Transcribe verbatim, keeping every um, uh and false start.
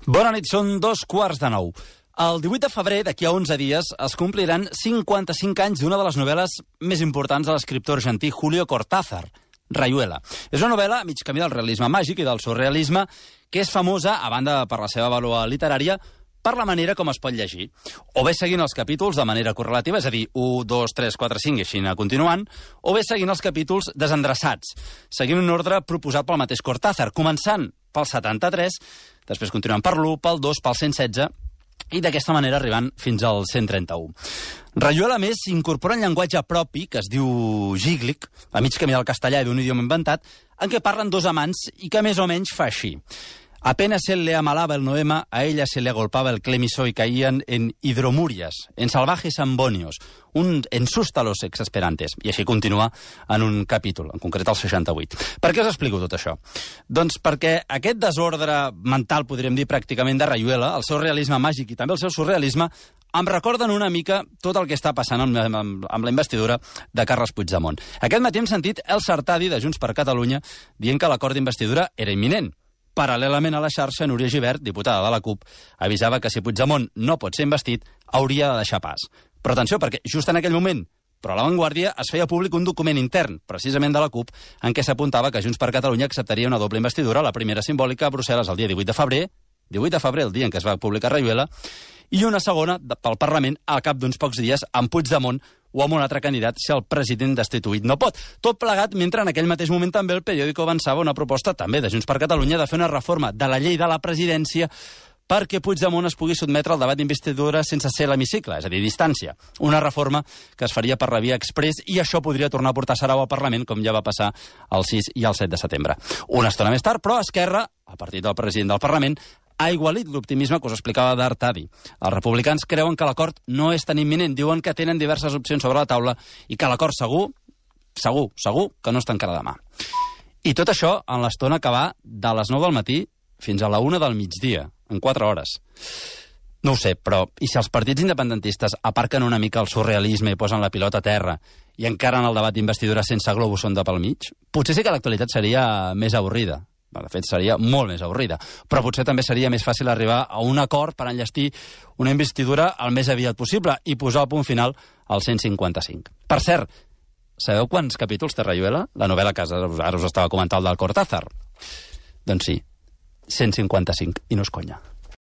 Bona nit, són dos quarts de nou. El divuit de febrer, d'aquí a onze dies, es compliran cinquanta-cinc anys d'una de les novel·les més importants de l'escriptor argentí Julio Cortázar, Rayuela. És una novel·la a mig camí del realisme màgic i del surrealisme, que és famosa, a banda per la seva vàlua literària, per la manera com es pot llegir. O bé seguint els capítols de manera correlativa, és a dir, u, dos, tres, quatre, cinc i així anar continuant, o bé seguint els capítols desendreçats, seguint un ordre proposat pel mateix Cortázar, començant pel setanta-tres, després continuant per l'u, pel dos, pel cent setze, i d'aquesta manera arribant fins al cent trenta-u. Rayuela, a més, incorpora un llenguatge propi, que es diu gíglic, a mig camí del castellà i d'un idioma inventat, en què parlen dos amants i que més o menys fa així. Apenas él le amalaba el noema, a ella se le agolpaba el clemiso y caían en hidromurias, en salvajes ambonios, un, en sústalos exasperantes. I així continua en un capítol, en concret el seixanta-vuit. Per què us explico tot això? Doncs perquè aquest desordre mental, podríem dir pràcticament, de Rayuela, el seu realisme màgic i també el seu surrealisme, em recorden una mica tot el que està passant amb, amb, amb la investidura de Carles Puigdemont. Aquest matí hem sentit Elsa Artadi, de Junts per Catalunya, dient que l'acord d'investidura era imminent. Paral·lelament a la xarxa, Núria Gibert, diputada de la CUP, avisava que si Puigdemont no pot ser investit, hauria de deixar pas. Però atenció, perquè just en aquell moment, però a La Vanguardia, es feia públic un document intern, precisament de la CUP, en què s'apuntava que Junts per Catalunya acceptaria una doble investidura, la primera simbòlica a Brussel·les el dia divuit de febrer, divuit de febrer, el dia en què es va publicar Rayuela, i una segona pel Parlament al cap d'uns pocs dies amb Puigdemont o amb un altre candidat si el president destituït no pot. Tot plegat mentre en aquell mateix moment també el periòdico avançava una proposta també de Junts per Catalunya de fer una reforma de la llei de la presidència perquè Puigdemont es pugui sotmetre al debat d'investidura sense ser a l'hemicicle, és a dir, distància. Una reforma que es faria per la via express i això podria tornar a portar Sarau al Parlament, com ja va passar el sis i el set de setembre. Una estona més tard, però Esquerra, a partir del president del Parlament, ha igualit l'optimisme que us explicava d'Artadi. Els republicans creuen que l'acord no és tan imminent, diuen que tenen diverses opcions sobre la taula i que l'acord segur, segur, segur, que no es tancarà demà. I tot això en l'estona que va de les nou del matí fins a la una del migdia, en quatre hores. No ho sé, però i si els partits independentistes aparquen una mica el surrealisme i posen la pilota a terra i encaren el debat d'investidura sense globus sonda pel mig, potser sí que l'actualitat seria més avorrida. De fet, seria molt més avorrida. Però potser també seria més fàcil arribar a un acord per enllestir una investidura el més aviat possible i posar el punt final al cent cinquanta-cinc. Per cert, sabeu quants capítols té Rayuela? La novel·la que ara us estava comentant del Cortázar. Doncs sí, cent cinquanta-cinc, i no és conya.